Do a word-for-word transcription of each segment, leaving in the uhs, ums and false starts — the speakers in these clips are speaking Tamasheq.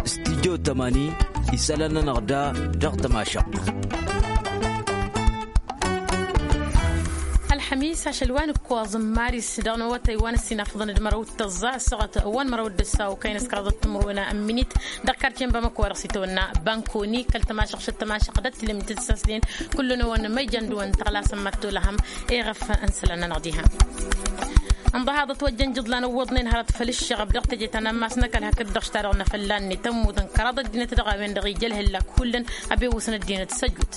Stidyo tămani isălan-nănăɣ da dăɣ-tămašăɣt. Ălxămis ašăl wa n-ǝkkoẓ n-maris dăɣ-năwătăy wa n-ăssinafăḍăn d-mărăw d-tăẓẓa ăssaɣăt wa n-mărăw d-ăssaw kăyăn s-kăraḍăt timǝrwen n-minit dăɣ-karce n-bamăko wa dăɣ-s itawănna bankoni kăl-tămašăɣt šăt-tămašăɣt d-ăttilǝm tǝssasnen. Kullu-năwăn ma ijan dăɣ-wăn tăɣlasăn mad-tolăhăm iɣăf n-isălan-nănăɣ diha. Ǝnḍăhaḍăt wăjjăn ijǝḍlan ăwwăḍnen hărăt făll-ǝššăɣăb dăɣ-teje ta n-ammas n-ăkall hakd-dăɣ s-ta-dăɣ n-afălla-net ămmutăn kăraḍ ăddinăt dăɣ-a-wen-dăɣ ija ălhǝllak hullan. Abewăsăn ăddinăt s-ăjut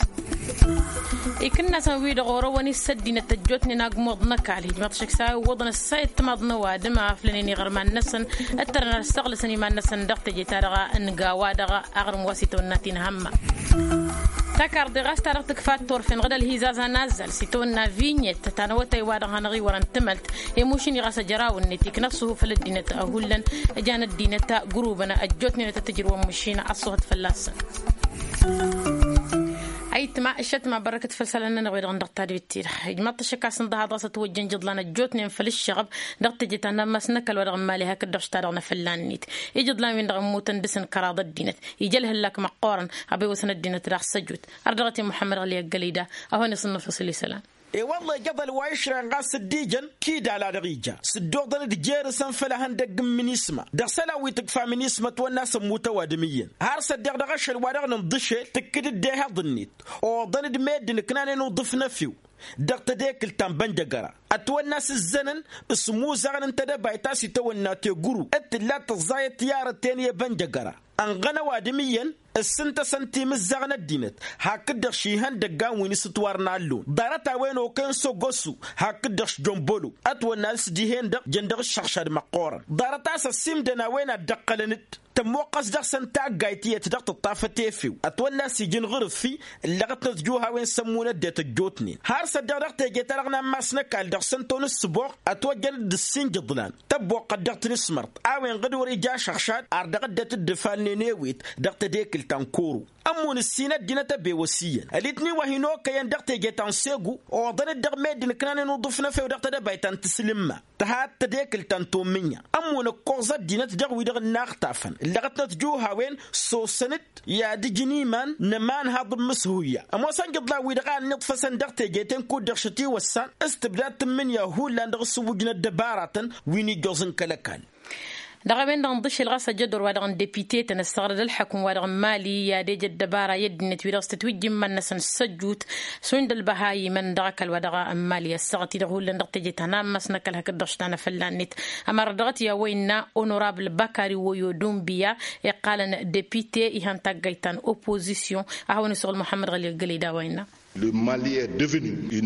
ikǝnnasăn-wi-dăɣ orăwăn-i s-ăddinăt ăjjootnen agmuḍ n-ăkall hijmăḍ šăksa iwwăḍăn ăssayăt timaḍ n-ăwadǝm a ăflănen iɣărman-năsăn. Ǝttărăn ad-ăssăɣlăsăn iman-năsăn dăɣ-teje ta dăɣ-nǝga wa dăɣ-aɣrǝm wa s-itawănna tinhămma. Takarḍe ɣas ta dăɣ-tǝkfa turfen ɣǝd ălhizaza n-azzal s-itawănna vinyet ta n-awătay wa dăɣ-hanăɣ-iwărăn tǝmălt. Emušǝn-i ɣas ăjraw-net ikna ăṣṣuhuf ăl-ăddinăt hullan. Ǝjan ăddinăt gurubăn ăjjootnen ad-tǝjrǝwăn măšina ăṣṣuhăt fălla-săn. Ayǝtma ǝššătma bărrăkăt făll-isălan-nănăɣ wi-dăɣ n-dăɣ-tadbit-ti-dăɣ ijmaḍ-t ašăk a-s ǝnḍăhaḍ ɣas ătwăjjăn ijǝḍlan ăjjootnen făll-ǝššăɣăb dăɣ-teje ta n-ammas n-ăkall wa dăɣ-n mali hakd-dăɣ s-ta-dăɣ n-afălla-net. Ijǝḍlan-win-dăɣ ămmutăn dăɣ-săn kăraḍ ăddinăt ija ălhăllak măqqoorăn. Abewăsăn ăddinăt daɣ s-ăjut ărdăɣăt i-muḥămmăd ɣǝli ăggălăy da. A hawăn-iṣǝnnăf isǝl isălan. E-wălla ijăḍăl wa išrăyăn ɣas dd-ijăn kidal a dăɣ-ija s-dd-oḍăn d-jer-săn făll-ehăndăgg n-minisma dăɣ-isălan wi tǝkfa minisma ătwănna a-s ămmut ăwadǝm iyyăn har s-ăddeɣ dăɣ-ašăl wa dăɣ-nǝnḍǝšel tǝkkǝd-dd ehăḍ-net. Oḍăn-dd meddǝn ǝknanen uḍǝf n-efew dăɣ-tedekǝlt ta n-bănjăgăra ătwănna a-s ǝzzănăn s-imuzăɣăn n-tedăbayt ta s-itawănna teguru d-tǝlla tǝẓẓayăt i-arăten i-ebănjăgăra. Ănɣăn ăwadǝm iyyăn ǝssǝntăsăn timǝzzaɣ n-ăddinăt hakd-dăɣ šihăndăggan wi n-isǝtwar n-allun ḍarăt-a-wen okăyăn s-ogosu hakd-dăɣ šjombolo ătwănna a-s dihen-dăɣ jăn dăɣ-ǝššăɣšad măqqoorăn. Ḍarăt a-s ăsimdăn a-wen ad-dd-ăqqălăn-dd tămmoqqăs dăɣ-săn taggayt iyyăt dăɣ-tǝṭṭafăt efew ătwănna a-s ija ǝnɣǝrǝffi. Ǝllăɣătnăt juhawen s-ămmun ăddinăt ăjjootnen har s-ăddeɣ dăɣ-teje-ta-dăɣ n-ammas n-ăkall dăɣ-săn-ton ǝssǝboɣ ătwăjjăn-dd ǝssin ijǝḍlan tăbboqqăt dăɣ-tinǝsmărt a-wen ɣǝd wăr-ija ašăɣšad ar dăɣ-ăddinăt dd-ǝfalnen ewet dăɣ-tedekǝlt ta n-koro. Ămmun ǝssin ăddinăt ăbewăs iyyăn ălitni wa hin-okăyăn dăɣ-teje ta n-segu oḍăn-dd dăɣ-meddǝn ǝknanen uḍǝf n-efew dăɣ-tedăbayt ta n-tǝslǝmma tǝhat tedekǝlt ta n-tomǝnya. Ămmun ǝkkoẓ ăddinăt dăɣ-wi-dăɣ ǝnnaɣtafăn ǝllăɣătnăt juhawen sosăn-dd i-ad-ǝjǝn iman n-ămanhaḍ n-imǝshuyya ămoosăn ijǝḍlan-wi-dăɣ a ănniḍfăsăn dăɣ-teje-ten kud-dăɣ šătiwăssan s-tǝbda tǝmmǝnǝya hullan dăɣ-asǝwwǝj n-ăddăbaratăn wi n-ijjoẓ n-kăl-ăkall. Dăɣ-a-wen-dăɣ ǝnḍǝšel ɣas ăjădor wa dăɣ-n depite-tăn ăssaɣrăd ălḥăkum wa dăɣ-n mali i-ad-ejă ăddăbara i-ăddinăt wi-dăɣ s-tătwǝjjǝm iman-năsăn s-ăjut šund ălbăhayimăn dăɣ-ăkall wa dăɣ-n mali ăssaɣăt-i-dăɣ hullan dăɣ-teje ta n-ammas n-ăkall hakd-dăɣ štan afălla-net. Ămăra dăɣ-t i-a-wa innă onorabl bakari woyo dumbiya iqqalăn depite ihăn taggayt ta n-oppozisyon. A hawăn-isuɣǝl muḥămmăd ɣăli ăggălăy d-a-wa innă.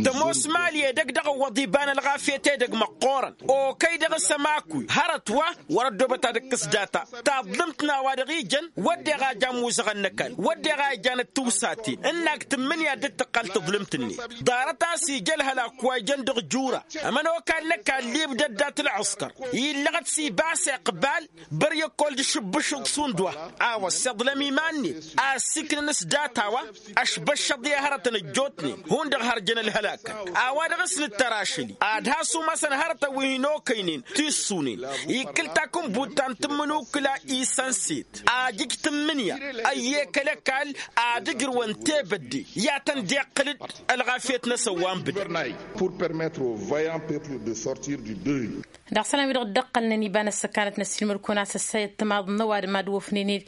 Tămoos mali edăgg dăɣ-ǝwwăḍ iba n-ălɣafyăt edăgg măqqoorăn okăy dăɣ-s ămakuy hărăt wa wăr-ăddoobăt ad-ǝkkǝs data. Taḍlǝmt n-a-wa dăɣ-ijăn wădden a ija ămmuzăɣăn n-ăkall wădden a ijan d-tiwsaten ǝnnak tǝmmǝnǝya dd-tǝqqal taḍlǝmt-net. Ḍarăt a-s ija ălhălak wa ijăn dăɣ-jura ămănokal n-ăkall ibdăd dat-ălɣǝskăr illăɣăt s-ibas iqbal băr i-ăkkoll d-išǝbbǝšǝḍ šund wa a-wa ăssiḍlăm iman-net a ăssiiknăn s-data wa ăšbăššăḍ i-hărătăn ăjjootnen hundăɣ hărjăn ălhălakăn. A-wa dăɣ-s nǝttăr ašăl-i ad-has-umasăn hărătăn wi hin-okăynen tissunen. Ikkǝl takǝnbut ta n-tǝmmǝnukǝla isănset ajǝj tǝmmǝnǝya ăyyek ălăkall ad-ǝjrǝwăn tebădde i-ad-tăn-dd-iqqǝl-dd ălɣafyăt-năsăn wa n-bǝdăn. Pour permettre au vaillant peuple de sortir du deuil. Dăɣ-isălan wi-dăɣ dd-ăqqălnen iba n-ăssăkanăt n-ăssiilmăd-kăwăn a-s ăssayăt timaḍ n-ăwadǝm ad-wăfnen-dd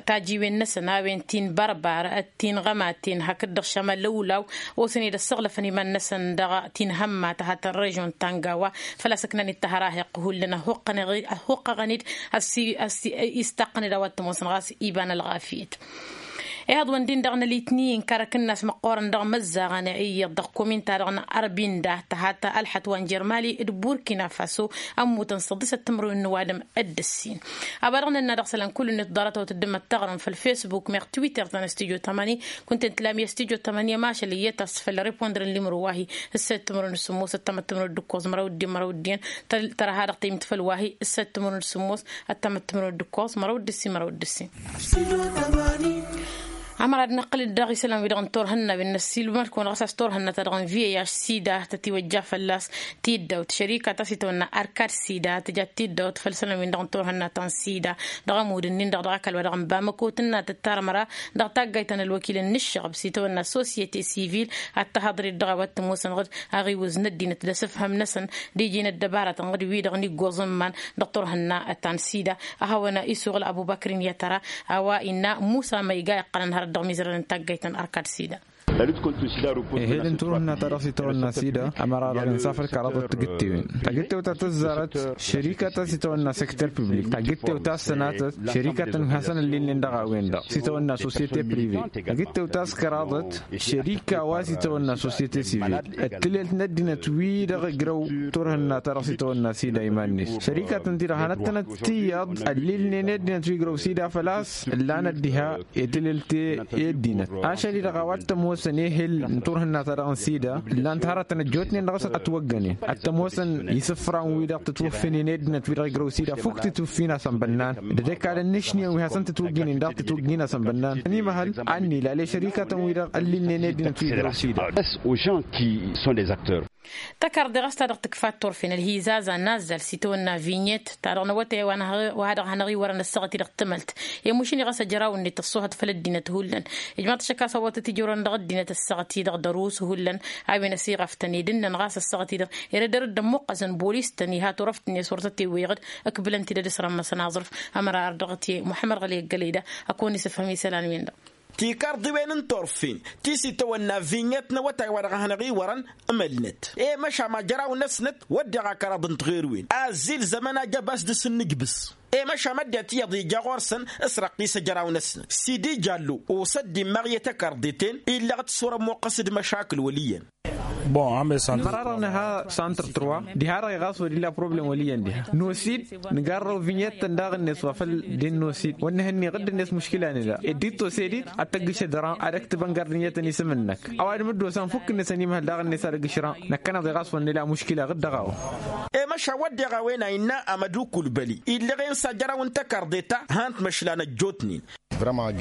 tajiwen-năsăn a-wen ti n-bărbar ti n-iɣămaten hakd-dăɣ šamal lăwlaw. Osăn-dd ăssăɣlăfăn iman-năsăn dăɣ-ti n-ihămma tăhat ălrežyon ta n-gawa făl-a-s ǝknan-dd tahărahiqq hullan ăhuqqăɣăn-dd ăssistaqqăn-dd a-wa t-ămoosăn ɣas iba n-ălɣafyăt. Ihăḍ-wăn-din dăɣ-nălitni n-karăk-năs măqqoorăn dăɣ-imăzzaɣăn iyyăḍ dăɣ-komin-ta-dăɣ n-arbinda tăhat ălxăt wa n-jer-mali d-burkina faso. Ămmutăn săḍisăt timǝrwen n-ăwadǝm d-ǝssin. A-wa dăɣ-nănna dăɣ-isălan kull-net ḍarăt a wăt-ăddǝmăt taɣrǝm făll-fesbuk meɣ twitter ta n-studyo tămani. Kunta n-tǝlam i-studyo tămani ămašăl iyyăt a-s făll-ripondăr n-limro wa-hi ǝssăyăt timǝrwen n-sǝmmos ăttămăt timǝrwen d-ǝkkoẓ măraw d-dd-măraw d-iyyăn. Tărha dăɣ-tăymǝt făll-wa-hi ǝssăyăt timǝrwen n-sǝmmos ăttămăt timǝrwen d-ǝkkoẓ măraw d-ǝssin măraw d-ǝssin. Ămăra ad-nǝqqǝl-dd dăɣ-isălan-wi-dăɣ n-turhǝnna wi n-ăssiilmăl-kăwăn ɣas a-s turhǝnna-ta-dăɣ n-vih sida tătiwăjja fălla-s tiddawt šărika ta s-itawănna arkad sida tǝja tiddawt făll-isălan-win-dăɣ n-turhǝnna ta n-sida. Dăɣ-ămudd-ǝnnin-dăɣ dăɣ-ăkall wa dăɣ-n bamăko tǝnna tǝttar ămăra dăɣ-taggayt ta n-ălwăkil n-ǝššăɣb s-itawănna societe sivil ad-tăhaḍăr-dd dăɣ-a-wa t-ămoosăn ɣǝd aɣiwǝz n-ăddinăt d-asǝfhăm-năsăn d-iji n-ăddăbaratăn ɣǝd-wi-dăɣ n-iggoẓ n-iman dăɣ-turhǝnna ta n-sida. A hawăn-isuɣǝl ăbubăkr n-yatăra a-wa innă musa ma iga iqqălăn hărăt dăɣ-imizărăn n-taggayt n-arkad sida. Ehel n-turhǝnna ta dăɣ-s itawănna sida ămăra-dăɣ insa făll-kăraḍăt tigǝttewen tagǝttewt ta tăzzarăt šărika ta s-itawănna sektăr publik tagǝttewt ta s-sănatăt šărikatăn wi hasăn-ăllilnen dăɣ-a-wen-dăɣ s-itawănna sosyete prive tagǝttewt ta s-kăraḍăt šărika wa s-itawănna sosyete sivil ăttǝlelt n-ăddinăt wi-dăɣ ǝjrăw turhǝnna ta dăɣ-s itawănna sida iman-net šărikatăn-ti-dăɣ hanăt-tănăt tiyyăḍ ăllilnen i-ăddinăt wi ǝjrăw sida făl-a-s ǝllanăt diha i-tǝlǝlte i-ăddinăt ašăl-i-dăɣ a-wa t-ămoosăn ehel n-turhǝnna-ta-dăɣ n-sida ǝllan-t hărătăn ăjjootnen dăɣ-s ătwăggănen ad-t-ămoosăn isǝfran-wi-dăɣ tǝtwǝffǝnen i-ăddinăt wi-dăɣ ǝjrăw sida fukk tǝtwǝffin a-s ănbănnan d-ăkall ănnǝšniyen wi hasăn-tǝtwǝggǝnen daɣ tǝtwǝggǝn a-s ănbănnan ănimăhăl a ănnilal i-šărikatăn-wi-dăɣ ăllilnen i-ăddinăt wi ǝjrăw sida. Tăkarḍe ɣas ta dăɣ-tǝkfa turfen ălhizazan n-azzal s-itawănna vinyet ta dăɣ-năwătay wa dăɣ-hanăɣ-iwărăn ăssaɣăt-i-dăɣ tǝmălt i-mušǝni ɣas ăjraw-net ăṣṣuhăt făll-ăddinăt hullan. Ijmaḍ-t šăkk a-s ăwwătăt ijorăn dăɣ-ăddinăt ăssaɣăt-i-dăɣ dăr-us hullan a-wen ăsiɣaftăn edǝnnăn ɣas ăssaɣăt-i-dăɣ erădăr dd-ămmuqqăsăn bolis-tăn iha turăft-net wăr tătewweɣ-dd ǝkbǝlăn-t-dd ad-ǝsrămmăsăn aẓrǝf. Ămăra ar dăɣ-t i-muḥămmăd ɣăli ăggălăy da ăkăwăn-isǝfhăm isălan-wen-dăɣ. Tikarḍiwen n-turfen ti s-itawănna vinyet n-awătay wa dăɣ-hanăɣ-iwărăn ǝmălnăt i-măšam ajăraw-năsnăt wădden akăraḍ n-tiɣerwen azzil zămăn ajăbas dăr-s n-inǝjbǝs. I-măšam ăddinăt iyyăḍ ija ɣur-săn s-răqqis ajăraw-năsnăt sidi jallo osăt dd-immaɣ i-tăkarḍeten illăɣ-t s-wăr-ămmuqqăs d-măšakǝl wăl' iyyăn. Ămăra-dăɣ nǝha santr-trăwa diha-dăɣ i-ɣas wăr-illa problem wăl' iyyăn diha n-osid nǝgarrăw vinyet-tăn daɣ-net wa făl dd-inn'-osid wăr nǝhănni ɣǝdd-net muškila-net da ed dd-tosedit ad-tăggǝšăd ăran ad-ăktǝbăn gardǝnyătăn isǝm-năk. Ăwadǝm dd-osan fukk-net ănimăhăl daɣ-net ad-ăggǝšrăn năkkăneḍ i-ɣas wăr nǝla muškila ɣǝdd-dăɣ a-wa. I-măšan wădden a-wen a innă amădukul băli illăɣen s-ajăraw n-tăkarḍe ta han-t măšlan ăjjootnen.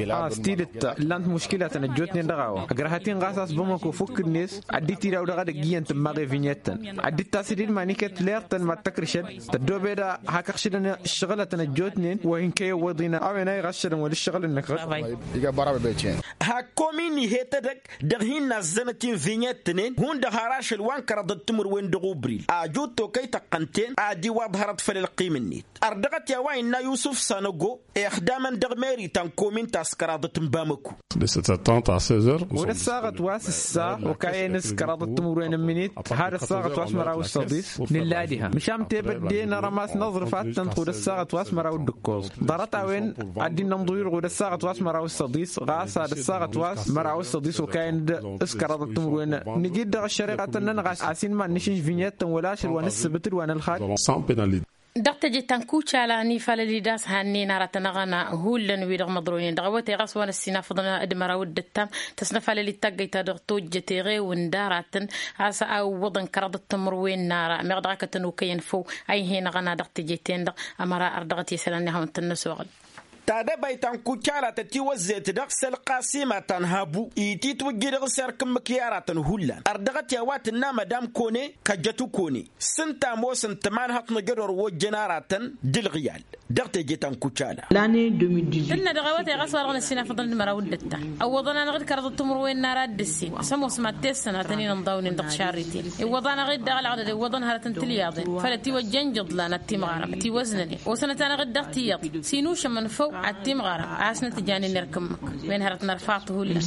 A-s tidǝt ta ǝllan-t muškilatăn ăjjootnen dăɣ-a-wa ăgrăhăt-in ɣas a-s bamăko fukk-net ad-dd-tidaw dăɣ-edăgg iyyăn tǝmmaɣ i-vinyet-tăn ad-dd-tasidid manikăt leɣ-tăn mad-tăkrǝšăd tăddoobed a hak-ăɣšǝdăn ǝššăɣǝlătăn ăjjootnen wa hin-kăy-ăwwăḍ-in a-wen a iɣăššădăn wăla ǝššăɣǝl-năk. Hak komin ihet edăgg dăɣ-hin-nazzănăt-in vinyet-tăn-en hundăɣ har ašăl wa n-kăraḍăt timǝrwen dăɣ-ubril ajut tokăy tăqqăn-ten ad-iwaḍ hărăt făll-ălqim-net. Ărdăɣăt i-a-wa innă yusǝf sanăgo ixdamăn dăɣ-meri ta n-komin ta s-kăraḍăt n-bamăko. Ɣud ăssaɣăt wa s-ǝssa okayăn s-kăraḍăt timǝrwen n-imǝnit had ăssaɣăt wa s-măraw s-săḍis. Nǝlla diha măšan tebădde n-arămas n-aẓrǝf ad-tăn-tăxud ɣud ăssaɣăt wa s-măraw d-ǝkkoẓ ḍarăt-a-wen ad-dd-innă ănḍuyǝd ɣud ăssaɣăt wa s-măraw s-săḍis ɣas ad-ăssaɣăt wa s-măraw s-săḍis okayăn-dd s-kăraḍăt timǝrwen. Nǝjǝd-dăɣ ăššăreɣa-tăn-nănɣas a-s inma ǝnnǝšǝnš vinyet-tăn wăla ašăl wa n-ǝssǝbǝt d-wa n-ălxad. Dăɣ-teje ta n-kucala n-ifalăl-i d-ass hannen aratăn aɣăna hullan-wi-dăɣ măḍroynen dăɣ-awătay ɣas wa n-ăssinafăḍăn d-măraw d-ǝttam tăsnăfalăl-i d-taggăyt ta dăɣ-tojjăt eɣewǝn d-aratăn a-s a ǝwwăḍăn kăraḍăt timǝrwen n-ara meɣ dăɣ-akătăn okăyăn făw a ih'-en aɣăna dăɣ-teje-ten-dăɣ. Ămăra ărdăɣăt i-isălan i-ad-hawăn-tăn-năsoɣăl. Tadăbayt ta n-kucala tătiwăzzet dăɣ-s ălqasima ta n-habu ititwǝjji dăɣ-s erk ǝmmǝk i-aratăn hullan ărdăɣăt i-a-wa tǝnna madam kone kăjjăt ukone s-ǝnta ămoosăn tămanhăḍt n-ajădor wa ojjăn aratăn d-ǝlɣǝyal. Dăɣ-teje ta n-kucala. Tǝnna dăɣ-awătay ɣas wa-dăɣ n-ăssinafăḍăn d-măraw d-ǝtta ăwwăḍăn-anăɣ-dd kăraḍăt timǝrwen n-ara dd-ǝssin s-ămoos mad-t-e-ǝssănatăn-in ǝnḍawnen dăɣ-šarriten iwwăḍ-anăɣ-dd dăɣ-ălɣădăd iwwăḍăn hărăt n-tilyaḍen făll-ătiwăjja n-ijǝḍlan ad-timɣarăm ătiwăznănen osănăt-anăɣ-dd dăɣ-tiyyăḍ s-inušămăn făw ad-timɣarăm a hasnăt-ǝjanen erk ǝmmǝk. Wen hărăt n-ărfaḍ hullan.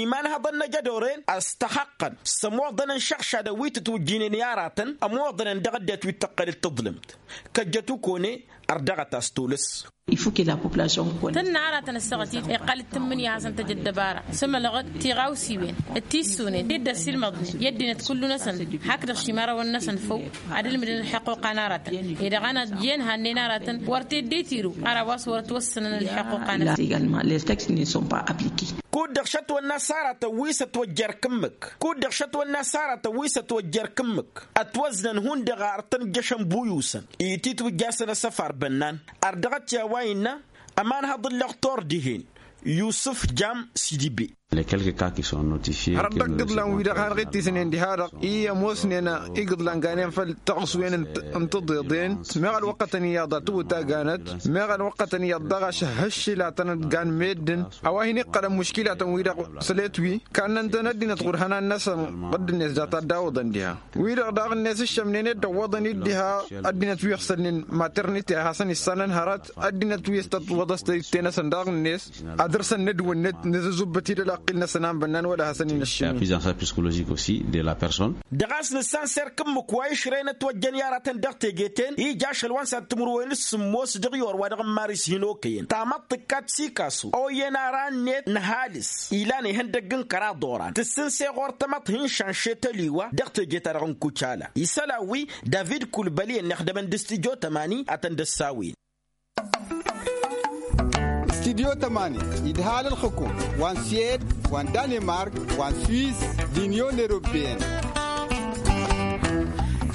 Imanhăḍăn n-ajădoren ăstăxăqqăn s-ămoḍăn n-išăɣšadăn wi tǝtwǝjjǝynen i-aratăn ămoḍănen dăɣ-ăddinăt wi t-tăqqăl d-taḍlǝmt. Kăjjăt ukone ărdăɣăt a-s tolăs. Tǝnna aratăn ăssaɣăt-dd iqqăl d-tǝmmǝnǝya a hasăn-tăj ăddăbara s-emălăɣăd tiɣawsiwen d-tissunen d-dd-ăssilmăḍnen i-ăddinăt kullu-năsăn hak-dăɣ šimarăwăn-năsăn făw ad-ǝlmǝdăn ălḥăqquqa n-aratăn. Ed dăɣ-anăt jen hannen aratăn wăr t-dd-itiru ara wa s-wăr ătwăssănăn ălḥăqquqa-năsăn. Kud-dăɣ šătwănna s-aratăn wi s-ătwăjja erk ǝmmǝk kud-dăɣ šătwănna s-aratăn wi s-ătwăjja erk ǝmmǝk ătwăznăn hundăɣ arăt ănjăšăn buyusăn ititwǝjjasăn asăfar bănnan. Ărdăɣăt i-a-wa innă ămanhăḍ ǝllăɣ tor dihen Yusǝf jam sidibe. Hărăt dăɣ-igǝḍlan-wi-dăɣ hanăɣ-ittisnen diha-dăɣ i-ămoosnen igǝḍlan ganen făll-taɣǝswen n-tiḍeḍen. Meɣ ălwăqqătăn iyyăḍ a tǝwǝt a ganăt meɣ ălwăqqătăn iyyăḍ daɣ a šăhhăššǝl ad-tăn-ădgan meddǝn. A-wa hin-iqqălăn muškilatăn-wi-dăɣ sălet-wi kannăn-tăn ăddinăt ɣur-ihănan-năsăn ɣǝdd-net dat-ad-dawǝḍăn diha. Wi-dăɣ daɣ-net ǝššămnen ed dăwwăḍăn-dd diha ăddinăt wi ăɣsălnen maternite a hasăn-issanăn hărăt ăddinăt wi s-tătwăḍăs tăyǝtte-năsăn daɣ-net ad-dăr-săn n-ădwǝnnet nǝzǝzzubbăt-dd ălaqqil-năsăn a n-bănnan wăla hasăn-in-ăššǝmnen. Pris en charge psikolojik aussi de la personne. Dăɣ-a-s nǝssan s-erk ǝmmǝk wa išrăynăt wăjjăn i-aratăn dăɣ-teje-ten ija ašăl wa n-sad timǝrwen s-sǝmmos dăɣ-i orwa dăɣ-n maris hin-okăyăn tamăḍt tǝkkat sikasu oyyăn ara-net n-ăhalǝs ilan ihăndăgg n-kăraḍ oran tǝssǝnse ɣur-tamăḍt hin-šanše tăliwa dăɣ-teje-ta-dăɣ n-kucala isălan-wi david kulbăli ănnixdămăn d-studyo tămani ad-tăn-dd-ăssawin. Studyo tămani idhal ălxǝkum wa n-suwed wa n-danemark wa n-swiss d-inyon europeyăn.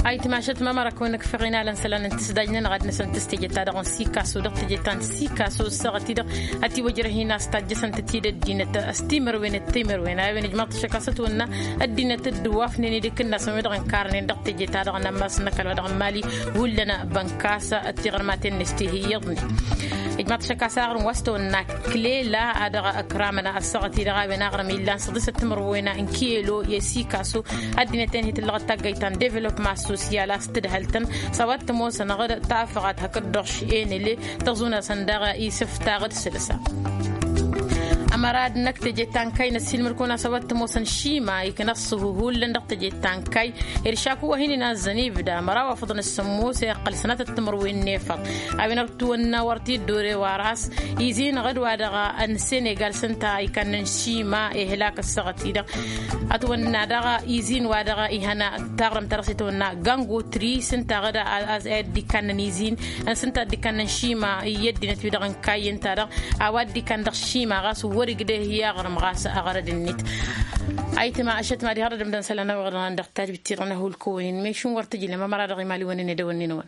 Ayǝtmašăt mamăra kăwăn-ăkfăɣ inalăn isălan n-tǝsdaj-nănăɣ ad-năsăn tǝstejăt-ta-dăɣ n-sikaso dăɣ-tejăt ta n-sikaso ǝssaɣăt-i-dăɣ ătiwăjrăh-in a-s tajjăsăn-tăt-dd ăddinăt s-timărwen d-timărwen a-wen ǝjmaḍ-t ašăk a-s ătwănna ăddinăt dd-ǝwwafnen idǝkǝnnasăn wi-dăɣ ǝnkarnen dăɣ-teje-ta-dăɣ n-ammas n-ăkall wa dăɣ-n mali. Hullan bănkas tiɣărmaten-net ti hi-iyyăḍnen ǝjmaḍ-t ašăk a-s aɣrǝm wa s-tăwănna klela a dăɣ-ǝkramăn ăssaɣăt-i-dăɣ a-wen aɣrǝm illan săḍisăt timărwen n-kiyelo i-sikaso. Ăddinăt-en hi-tǝllăɣăt taggayt ta n-developma sosyal a-s tǝdhăl-tăn s-a-wa t-ămoosăn ɣǝd tafăɣat hakd-dăɣ š-enele tăẓunăsăn daɣ isǝftaɣ d-sǝlsa. Ămăra d-năkk teje ta n-kayy n-ăssiilmăd-kăwăn a-s a-wa t-ămoosăn šima iknăṣṣuhu hullan dăɣ-teje ta n-kayy. Iršaku wa hin-inazzăn ibda măraw afăḍăn s-sămmos iqqăl sănatăt timǝrwen n-efăḍ a-wen ătwănna wăr t-dd-ore wa ras izin ɣǝd-wa-dăɣ n-senegal s-ǝnta ikannăn šima ihlak ăssaɣăt-i-dăɣ. Ătwănna daɣ izin wa dăɣ-ihăn taɣrǝmt ta dăɣ-s itwănna gangotri s-ǝnta ɣǝd a dd-ikannăn izin s-ǝnta a dd-ikannăn šima i-ăddinăt wi-dăɣ n-kayy ǝnta-dăɣ a-wa dd-ikann dăɣ-šima ɣas wăr-igdeh i-aɣrǝm ɣas aɣrăd-net. Ayǝtma ăššătma diha dd-ǝmdăn isălan-năwăn dăɣ-tajbit-ti-dăɣ n-ahulkăwăn-in mešun wăr tǝjlăm ămăra dăɣ-imaliwăn-in edăwănnin-wăn.